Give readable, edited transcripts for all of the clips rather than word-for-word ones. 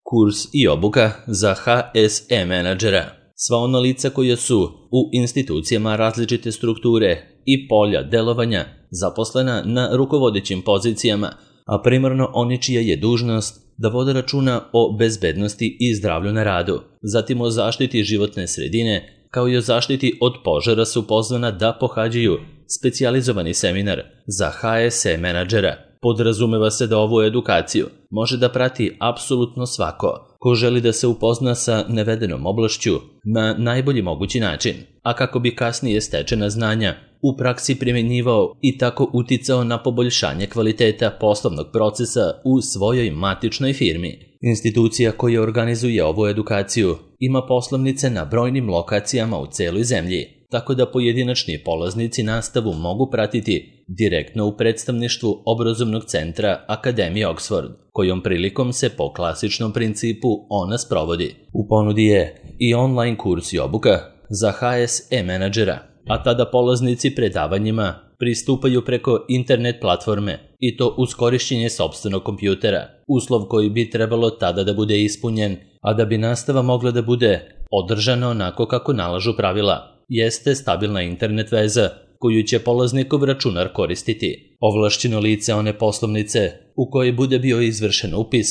Kurs i obuka za HSE menadžera. Sva ona lica koja su u institucijama različite strukture i polja delovanja zaposlena na rukovodećim pozicijama, a primarno oni čija je dužnost da vode računa o bezbednosti i zdravlju na radu, zatim o zaštiti životne sredine, kao i o zaštiti od požara su pozvana da pohađaju specijalizovani seminar za HSE menadžera. Podrazumeva se da ovu edukaciju može da prati apsolutno svako ko želi da se upozna sa navedenom oblašću na najbolji mogući način, a kako bi kasnije stečena znanja u praksi primjenjivao i tako uticao na poboljšanje kvaliteta poslovnog procesa u svojoj matičnoj firmi. Institucija koja organizuje ovu edukaciju ima poslovnice na brojnim lokacijama u celoj zemlji, tako da pojedinačni polaznici nastavu mogu pratiti direktno u predstavništvu obrazovnog centra Akademije Oxford, kojom prilikom se po klasičnom principu ona sprovodi. U ponudi je i online kurs i obuka za HSE menadžera, a tada polaznici predavanjima pristupaju preko internet platforme i to uz korišćenje sopstvenog kompjutera, uslov koji bi trebalo tada da bude ispunjen, a da bi nastava mogla da bude održana onako kako nalažu pravila, jeste stabilna internet veza koju će polaznikov računar koristiti. Ovlašćeno lice one poslovnice u kojoj bude bio izvršen upis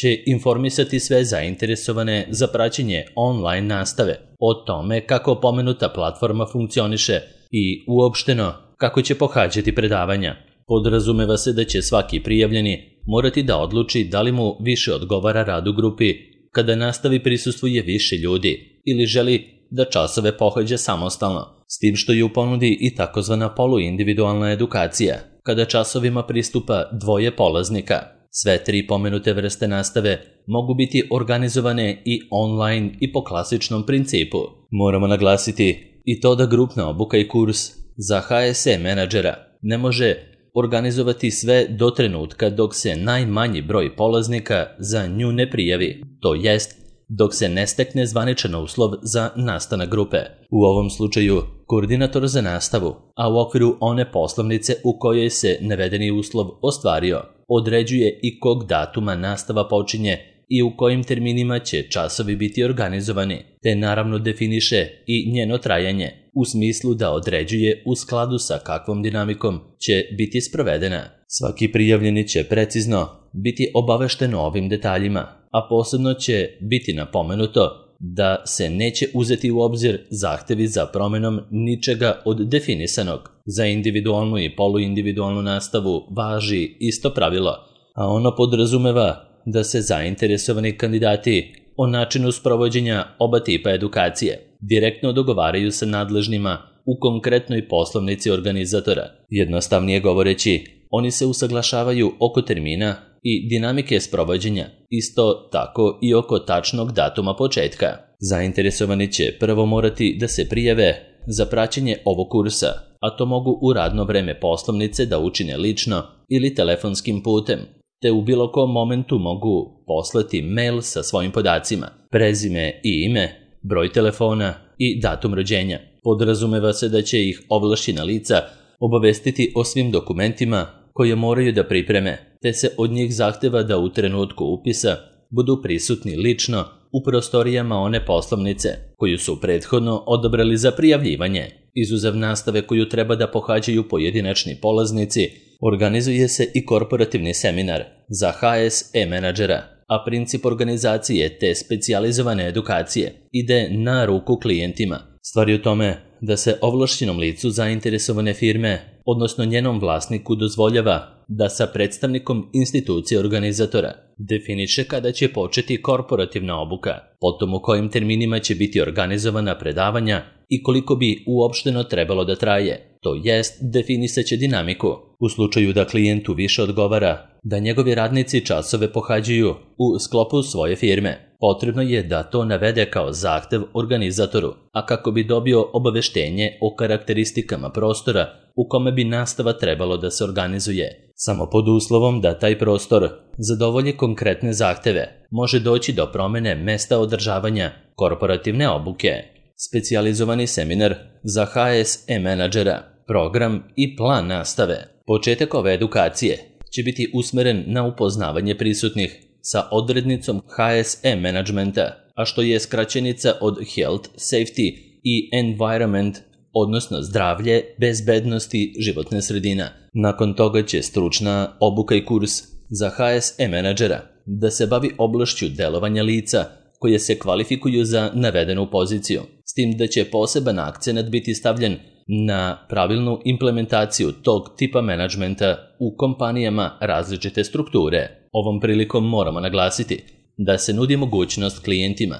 će informisati sve zainteresovane za praćenje online nastave o tome kako pomenuta platforma funkcioniše i uopšteno kako će pohađati predavanja. Podrazumeva se da će svaki prijavljeni morati da odluči da li mu više odgovara rad u grupi kada nastavi prisustvuje više ljudi ili želi da časove pohađa samostalno, s tim što je u ponudi i takozvana poluindividualna edukacija, kada časovima pristupa dvoje polaznika. Sve tri pomenute vrste nastave mogu biti organizovane i online i po klasičnom principu. Moramo naglasiti i to da grupna obuka i kurs za HSE menadžera ne može organizovati sve do trenutka dok se najmanji broj polaznika za nju ne prijavi, to jest dok se ne stekne zvaničan uslov za nastanak grupe. U ovom slučaju, koordinator za nastavu, a u okviru one poslovnice u kojoj se navedeni uslov ostvario, određuje i kog datuma nastava počinje i u kojim terminima će časovi biti organizovani, te naravno definiše i njeno trajanje, u smislu da određuje u skladu sa kakvom dinamikom će biti sprovedena. Svaki prijavljeni će precizno biti obavešten o ovim detaljima, a posebno će biti napomenuto da se neće uzeti u obzir zahtevi za promenom ničega od definisanog. Za individualnu i poluindividualnu nastavu važi isto pravilo, a ono podrazumeva da se zainteresovani kandidati o načinu sprovođenja oba tipa edukacije direktno dogovaraju sa nadležnima u konkretnoj poslovnici organizatora. Jednostavnije govoreći, oni se usaglašavaju oko termina i dinamike sprovođenja, isto tako i oko tačnog datuma početka. Zainteresovani će prvo morati da se prijave za praćenje ovog kursa, a to mogu u radno vreme poslovnice da učine lično ili telefonskim putem, te u bilo kom momentu mogu poslati mail sa svojim podacima, prezime i ime, broj telefona i datum rođenja. Podrazumeva se da će ih ovlašćena lica obavestiti o svim dokumentima koje moraju da pripreme, te se od njih zahteva da u trenutku upisa budu prisutni lično u prostorijama one poslovnice koju su prethodno odabrali za prijavljivanje. Izuzev nastave koju treba da pohađaju pojedinačni polaznici, organizuje se i korporativni seminar za HSE menadžera, a princip organizacije te specijalizovane edukacije ide na ruku klijentima. Stvar je u tome da se ovlašćenom licu zainteresovane firme, odnosno njenom vlasniku, dozvoljava da sa predstavnikom institucije organizatora definiše kada će početi korporativna obuka, potom u kojim terminima će biti organizovana predavanja i koliko bi uopšteno trebalo da traje, to jest definisaće dinamiku. U slučaju da klijentu više odgovara da njegovi radnici časove pohađaju u sklopu svoje firme, potrebno je da to navede kao zahtev organizatoru, a kako bi dobio obaveštenje o karakteristikama prostora u kome bi nastava trebalo da se organizuje. Samo pod uslovom da taj prostor zadovolji konkretne zahteve, može doći do promene mesta održavanja korporativne obuke. Specijalizovani seminar za HSE menadžera, program i plan nastave. Početak ove edukacije će biti usmeren na upoznavanje prisutnih sa odrednicom HSE managementa, a što je skraćenica od Health, Safety i Environment, odnosno zdravlje, bezbednosti, životna sredina. Nakon toga će stručna obuka i kurs za HSE menadžera da se bavi oblašću delovanja lica koje se kvalifikuju za navedenu poziciju, s tim da će poseban akcenat biti stavljen na pravilnu implementaciju tog tipa menadžmenta u kompanijama različite strukture. Ovom prilikom moramo naglasiti da se nudi mogućnost klijentima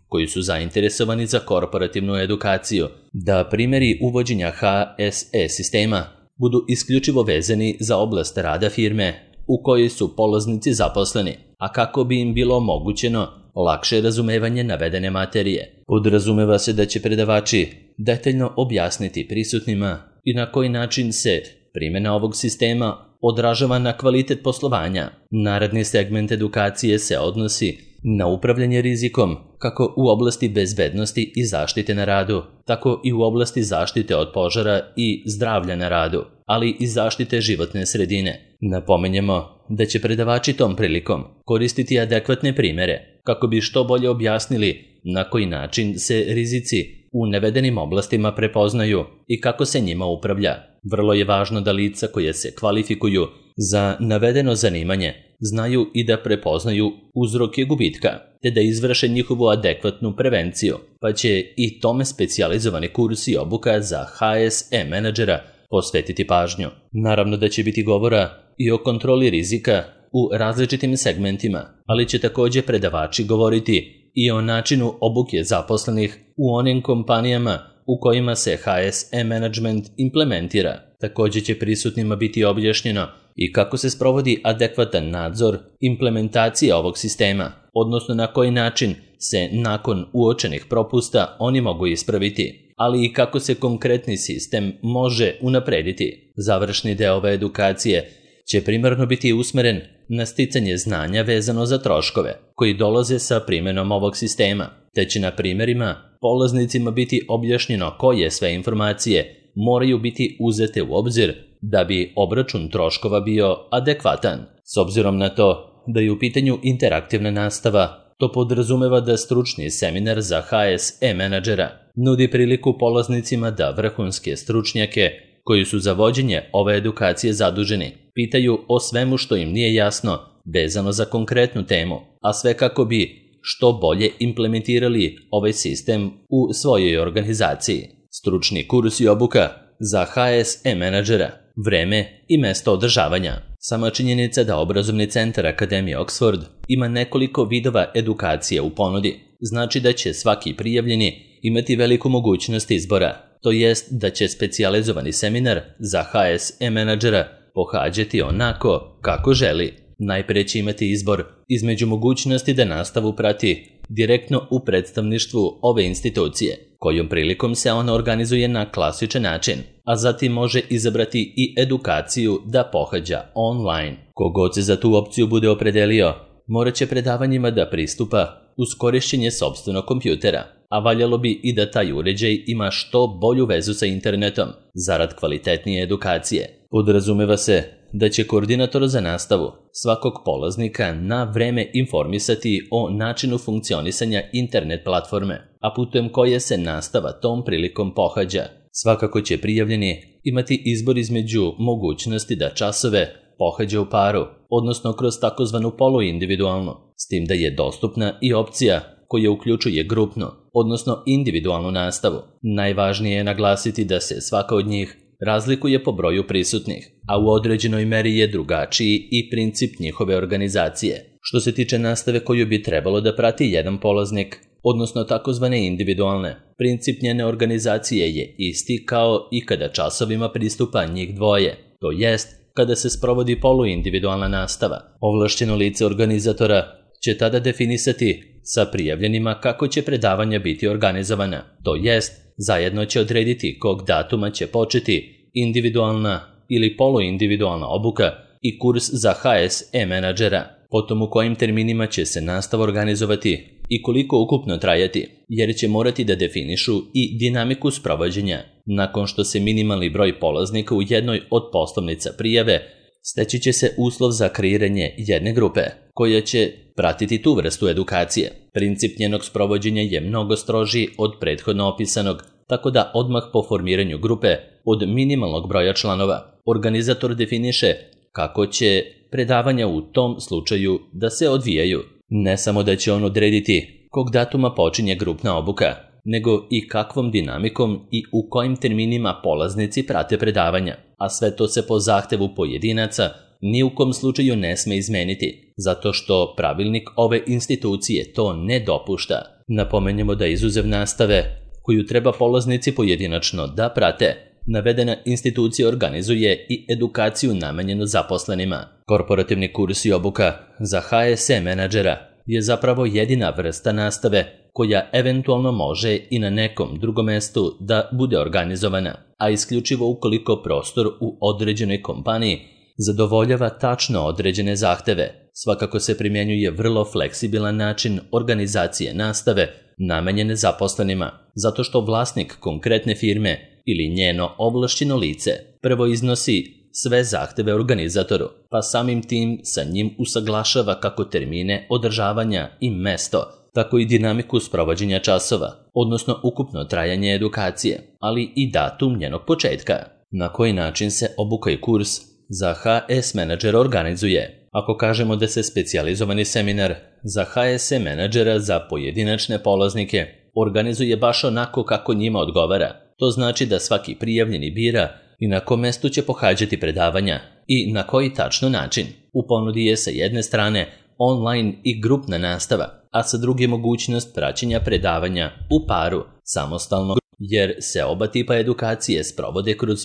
koji su zainteresovani za korporativnu edukaciju da primjeri uvođenja HSE sistema budu isključivo vezani za oblast rada firme u kojoj su polaznici zaposleni, a kako bi im bilo omogućeno lakše razumevanje navedene materije. Podrazumeva se da će predavači detaljno objasniti prisutnima i na koji način se primjena ovog sistema odražava na kvalitet poslovanja. Naredni segment edukacije se odnosi na upravljanje rizikom kako u oblasti bezbednosti i zaštite na radu, tako i u oblasti zaštite od požara i zdravlja na radu, ali i zaštite životne sredine. Napominjemo da će predavači tom prilikom koristiti adekvatne primjere kako bi što bolje objasnili na koji način se rizici u navedenim oblastima prepoznaju i kako se njima upravlja. Vrlo je važno da lica koje se kvalifikuju za navedeno zanimanje znaju i da prepoznaju uzroke gubitka, te da izvrše njihovu adekvatnu prevenciju, pa će i tome specijalizovani kurs i obuka za HSE menadžera posvetiti pažnju. Naravno da će biti govora i o kontroli rizika u različitim segmentima, ali će također predavači govoriti i o načinu obuke zaposlenih u onim kompanijama u kojima se HSE management implementira. Također će prisutnima biti objašnjeno i kako se sprovodi adekvatan nadzor implementacije ovog sistema, odnosno na koji način se nakon uočenih propusta oni mogu ispraviti, ali i kako se konkretni sistem može unaprediti. Završni deo ove edukacije će primarno biti usmeren na sticanje znanja vezano za troškove koji dolaze sa primjenom ovog sistema, te će na primjerima polaznicima biti objašnjeno koje sve informacije moraju biti uzete u obzir da bi obračun troškova bio adekvatan. S obzirom na to da je u pitanju interaktivna nastava, to podrazumeva da stručni seminar za HSE menadžera nudi priliku polaznicima da vrhunske stručnjake koji su za vođenje ove edukacije zaduženi pitaju o svemu što im nije jasno vezano za konkretnu temu, a sve kako bi što bolje implementirali ovaj sistem u svojoj organizaciji. Stručni kurs i obuka za HSE menadžera, vreme i mesto održavanja. Sama činjenica da obrazovni centar Akademije Oxford ima nekoliko vidova edukacije u ponudi znači da će svaki prijavljeni imati veliku mogućnost izbora, to jest da će specijalizovani seminar za HSE menadžera pohađati onako kako želi. Najprije će imati izbor između mogućnosti da nastavu prati direktno u predstavništvu ove institucije, kojom prilikom se ona organizuje na klasičan način, a zatim može izabrati i edukaciju da pohađa online. Kogod se za tu opciju bude opredelio, morat će predavanjima da pristupa uz korišćenje sopstvenog kompjutera, a valjalo bi i da taj uređaj ima što bolju vezu sa internetom zarad kvalitetnije edukacije. Podrazumeva se da će koordinator za nastavu svakog polaznika na vreme informisati o načinu funkcionisanja internet platforme, a putem koje se nastava tom prilikom pohađa. Svakako će prijavljeni imati izbor između mogućnosti da časove pohađa u paru, odnosno kroz takozvanu poluindividualnu, s tim da je dostupna i opcija koja uključuje grupnu, odnosno individualnu nastavu. Najvažnije je naglasiti da se svaka od njih razlikuje po broju prisutnih, a u određenoj meri je drugačiji i princip njihove organizacije. Što se tiče nastave koju bi trebalo da prati jedan polaznik, odnosno takozvane individualne, princip njene organizacije je isti kao i kada časovima pristupa njih dvoje, to jest kada se sprovodi poluindividualna nastava. Ovlašćeno lice organizatora će tada definisati sa prijavljenima kako će predavanja biti organizovana, to jest zajedno će odrediti kog datuma će početi individualna ili poluindividualna obuka i kurs za HSE menadžera, potom u kojim terminima će se nastava organizovati i koliko ukupno trajati, jer će morati da definišu i dinamiku sprovođenja. Nakon što se minimalni broj polaznika u jednoj od poslovnica prijave, Steći će se uslov za kreiranje jedne grupe koja će pratiti tu vrstu edukacije. Princip njenog sprovođenja je mnogo strožiji od prethodno opisanog, tako da odmah po formiranju grupe od minimalnog broja članova organizator definiše kako će predavanja u tom slučaju da se odvijaju. Ne samo da će on odrediti kog datuma počinje grupna obuka, nego i kakvom dinamikom i u kojim terminima polaznici prate predavanja, a sve to se po zahtevu pojedinaca ni u kom slučaju ne sme izmeniti, zato što pravilnik ove institucije to ne dopušta. Napomenjemo da izuzev nastave, koju treba polaznici pojedinačno da prate, navedena institucija organizuje i edukaciju namenjenu zaposlenima. Korporativni kurs i obuka za HSE menadžera je zapravo jedina vrsta nastave koja eventualno može i na nekom drugom mestu da bude organizovana, a isključivo ukoliko prostor u određenoj kompaniji zadovoljava tačno određene zahteve. Svakako se primjenjuje vrlo fleksibilan način organizacije nastave namenjene zaposlenima, zato što vlasnik konkretne firme ili njeno ovlašćeno lice prvo iznosi sve zahteve organizatoru, pa samim tim sa njim usaglašava kako termine održavanja i mesto, tako i dinamiku sprovođenja časova, odnosno ukupno trajanje edukacije, ali i datum njenog početka. Na koji način se obuka i kurs za HS menadžera organizuje? Ako kažemo da se specijalizovani seminar za HSE menadžera za pojedinačne polaznike organizuje baš onako kako njima odgovara, to znači da svaki prijavljeni bira i na kom mestu će pohađati predavanja i na koji tačno način. U ponudi je sa jedne strane online i grupna nastava, a sa druge mogućnost praćenja predavanja u paru, samostalno, jer se oba tipa edukacije sprovode kroz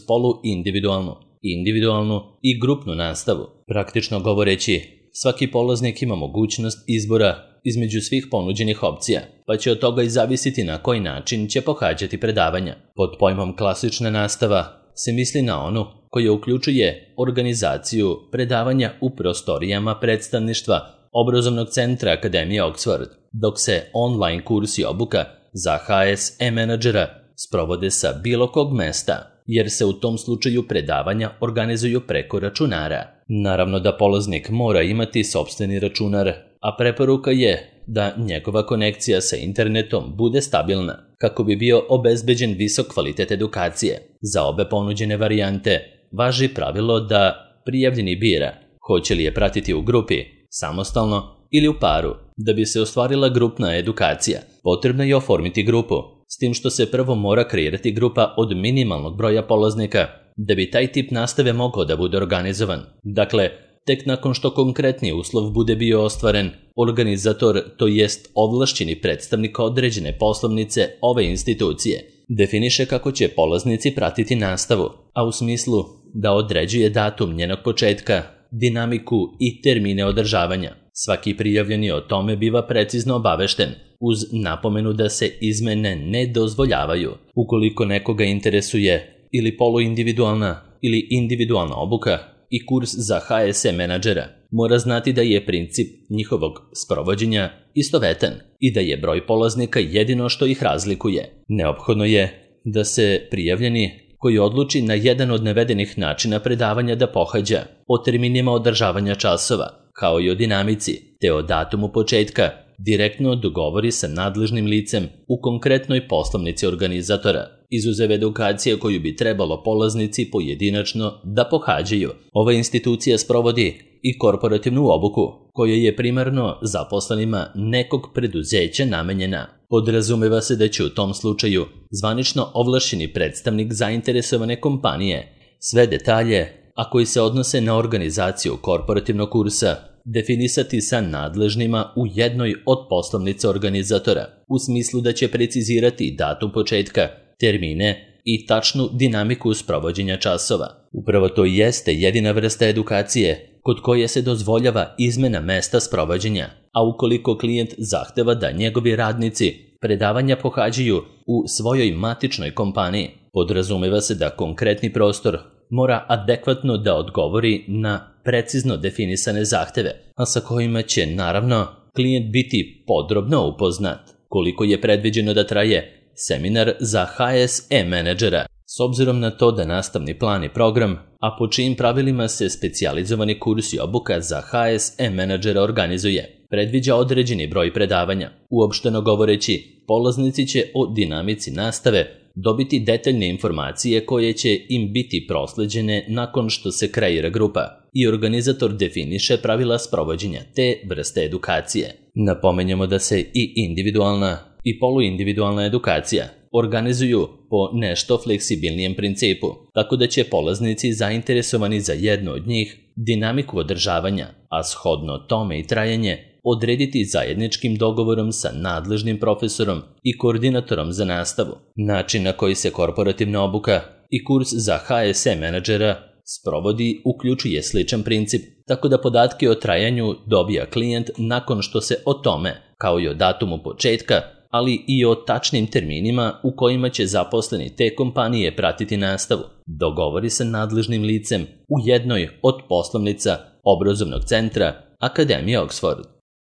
individualnu i grupnu nastavu. Praktično govoreći, svaki polaznik ima mogućnost izbora između svih ponuđenih opcija, pa će od toga i zavisiti na koji način će pohađati predavanja. Pod pojmom klasična nastava se misli na onu koja uključuje organizaciju predavanja u prostorijama predstavništva Obrazovnog centra Akademije Oxford, dok se online kurs i obuka za HSE menadžera sprovode sa bilo kog mesta, jer se u tom slučaju predavanja organizuju preko računara. Naravno da polaznik mora imati sopstveni računar, a preporuka je da njegova konekcija sa internetom bude stabilna, kako bi bio obezbeđen visok kvalitet edukacije. Za obe ponuđene varijante važi pravilo da prijavljeni bira hoće li je pratiti u grupi, samostalno ili u paru. Da bi se ostvarila grupna edukacija, potrebno je oformiti grupu, s tim što se prvo mora kreirati grupa od minimalnog broja polaznika, da bi taj tip nastave mogao da bude organizovan. Dakle, tek nakon što konkretni uslov bude bio ostvaren, organizator, to jest ovlašćeni predstavnik određene poslovnice ove institucije, definiše kako će polaznici pratiti nastavu, a u smislu da određuje datum njenog početka, dinamiku i termine održavanja. Svaki prijavljeni o tome biva precizno obavešten, uz napomenu da se izmene ne dozvoljavaju. Ukoliko nekoga interesuje ili poluindividualna ili individualna obuka i kurs za HSE menadžera, mora znati da je princip njihovog sprovođenja istovetan i da je broj polaznika jedino što ih razlikuje. Neophodno je da se prijavljeni koji odluči na jedan od navedenih načina predavanja da pohađa, o terminima održavanja časova, kao i o dinamici, te o datumu početka, direktno dogovori sa nadležnim licem u konkretnoj poslovnici organizatora, izuzev edukacije koju bi trebalo polaznici pojedinačno da pohađaju. Ova institucija sprovodi i korporativnu obuku, koja je primarno zaposlenima nekog preduzeća namenjena. Podrazumeva se da će u tom slučaju zvanično ovlašćeni predstavnik zainteresovane kompanije sve detalje, a koji se odnose na organizaciju korporativnog kursa, definisati sa nadležnima u jednoj od poslovnica organizatora, u smislu da će precizirati datum početka, termine i tačnu dinamiku sprovođenja časova. Upravo to jeste jedina vrsta edukacije kod koje se dozvoljava izmena mesta sprovođenja, a ukoliko klijent zahteva da njegovi radnici predavanja pohađaju u svojoj matičnoj kompaniji, podrazumeva se da konkretni prostor mora adekvatno da odgovori na precizno definisane zahteve, a sa kojima će, naravno, klijent biti podrobno upoznat. Koliko je predviđeno da traje seminar za HSE menadžera? S obzirom na to da nastavni plan i program, a po čijim pravilima se specijalizovani kurs i obuka za HSE menadžera organizuje, predviđa određeni broj predavanja. Uopšteno govoreći, polaznici će o dinamici nastave dobiti detaljne informacije koje će im biti prosleđene nakon što se kreira grupa i organizator definiše pravila sprovođenja te vrste edukacije. Napomenjemo da se i individualna i poluindividualna edukacija organizuju po nešto fleksibilnijem principu, tako da će polaznici zainteresovani za jedno od njih dinamiku održavanja, a shodno tome i trajanje, odrediti zajedničkim dogovorom sa nadležnim profesorom i koordinatorom za nastavu. Način na koji se korporativna obuka i kurs za HSE menadžera sprovodi uključuje sličan princip, tako da podatke o trajanju dobija klijent nakon što se o tome, kao i o datumu početka, ali i o tačnim terminima u kojima će zaposleni te kompanije pratiti nastavu, dogovori sa nadležnim licem u jednoj od poslovnica obrazovnog centra Akademije Oxford.